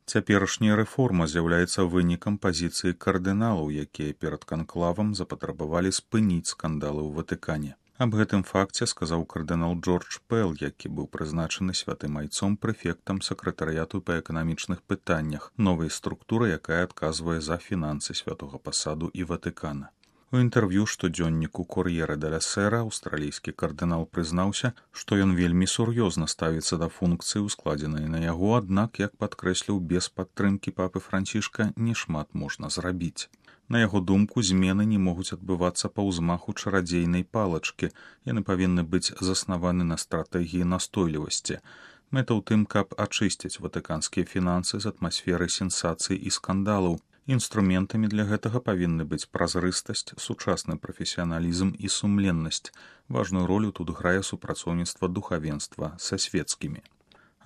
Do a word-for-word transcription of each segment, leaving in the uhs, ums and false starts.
Цяперашняя рэформа з'яўляецца вынікам пазіцыі кардыналаў, якія перад канклавам запатрабавалі спыніць скандалы ў Ватыкане. Аб гэтым факце сказаў кардынал Джордж Пэл, які быў прызначаны святым айцом прэфектам сакратарыяту па эканамічных пытаннях, новай структуры, якая адказвае за фінансы святога пасаду і Ватыкана. У інтэрв'ю штодзённіку «Кор'єре деля Сера» аўстралійскі кардынал прызнаўся, што ён вельмі сур'ёзна ставіцца да функцыі, ускладзенай на яго, аднак, як падкрэсліў, без падтрымкі папы Францішка нешмат можна зрабіць. На яго думку, змены не могуць адбывацца па ўзмаху чарадзейнай палачкі, яны павінны быць заснаваны на стратэгіі настойлівасці. Мэта ў тым, каб ачысціць ватыканскія фінансы з атмасферы сенсацый і скандалаў. Інструментамі для гэтага павінны быць празрыстасць, сучасны прафесіяналізм і сумленнасць. Важную ролю тут грае супрацоўніцтва духавенства са свецкімі.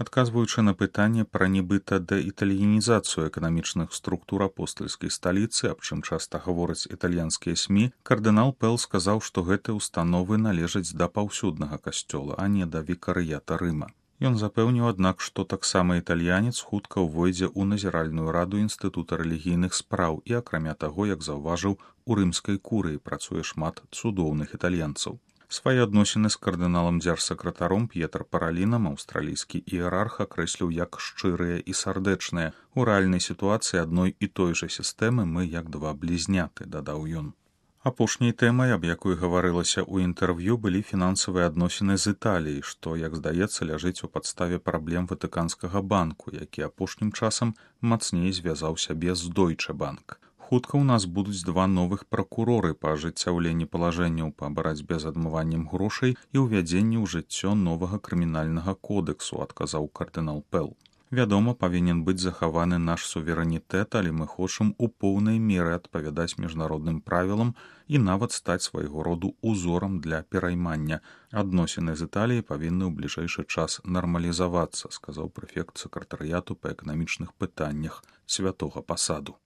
Адказваючы на пытанне пра нібыта дэітальянізацыю эканамічных структур апостальскай сталіцы, аб чым часта гавораць італьянскія СМІ, кардынал Пэл сказаў, што гэтыя ўстановы належаць да паўсюднага касцёла, а не да вікарыята Рыма. Ён запэўніў, аднак, што таксама італьянец хутка ўвойдзе ў назіральную раду інстытута рэлігійных спраў і, акрамя таго, як заўважыў, у рымскай курыі працуе шмат цудоўных італьянцаў. Свае адносіны з кардыналам дзяржсакратаром П'етр Паралінам аўстралійскі іерарх акрэсліў як шчырыя і сардэчныя. У рэальнай сітуацыі адной і той жа сістэмы мы як два блізняты, дадаў ён. Апошняй тэмай, аб якой гаварылася ў інтэрв'ю, былі фінансавыя адносіны з Італіяй, што, як здаецца, ляжыць у падставе праблем Ватыканскага банку, які апошнім часам мацней звязаў сябе з Дойчэ банк. Хутка ў нас будуць два новых пракуроры па ажыццяўленні палажэнняў па барацьбе з адмываннем грошай і ўвядзенні ў жыццё новага крымінальнага кодэксу, адказаў кардынал Пэл. Вядома, павінен быць захаваны наш суверэнітэт, але мы хочам у поўнай меры адпавядаць міжнародным правілам і нават стаць свайго роду узорам для пераймання. Адносіны з Італіяй павінны ў бліжэйшы час нармалізавацца, сказаў прэфект сакратарыяту па эканамічных пытаннях святога пасаду.